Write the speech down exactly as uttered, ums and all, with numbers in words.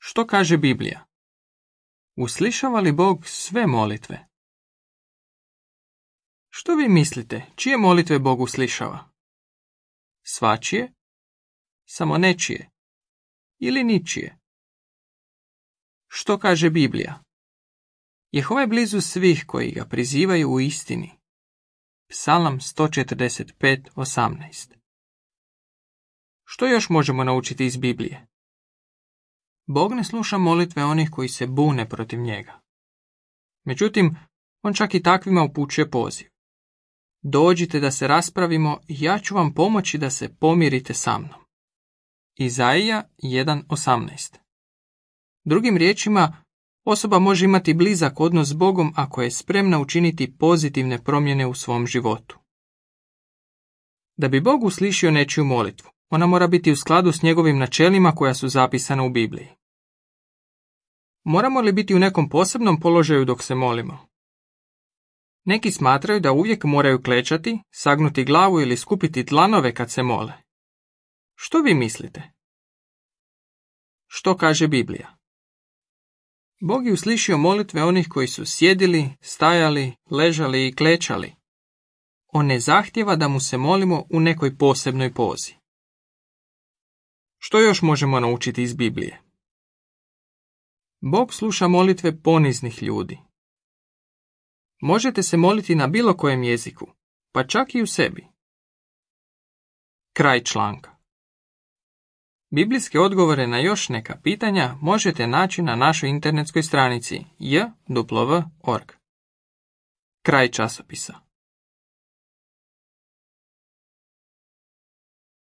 Što kaže Biblija? Uslišava li Bog sve molitve? Što vi mislite, čije molitve Bog uslišava? Svačije? Samo nečije? Ili ničije? Što kaže Biblija? Jehova je blizu svih koji ga prizivaju u istini. Psalam sto četrdeset pet osamnaest. Što još možemo naučiti iz Biblije? Bog ne sluša molitve onih koji se bune protiv njega. Međutim, on čak i takvima upućuje poziv. Dođite da se raspravimo i ja ću vam pomoći da se pomirite sa mnom. Izaija jedan osamnaest. Drugim riječima, osoba može imati blizak odnos s Bogom ako je spremna učiniti pozitivne promjene u svom životu. Da bi Bog uslišio nečiju molitvu, ona mora biti u skladu s njegovim načelima koja su zapisana u Bibliji. Moramo li biti u nekom posebnom položaju dok se molimo? Neki smatraju da uvijek moraju klečati, sagnuti glavu ili skupiti dlanove kad se mole. Što vi mislite? Što kaže Biblija? Bog je uslišio molitve onih koji su sjedili, stajali, ležali i klečali. On ne zahtjeva da mu se molimo u nekoj posebnoj pozi. Što još možemo naučiti iz Biblije? Bog sluša molitve poniznih ljudi. Možete se moliti na bilo kojem jeziku, pa čak i u sebi. Kraj članka. Biblijske odgovore na još neka pitanja možete naći na našoj internetskoj stranici j w točka org. Kraj časopisa.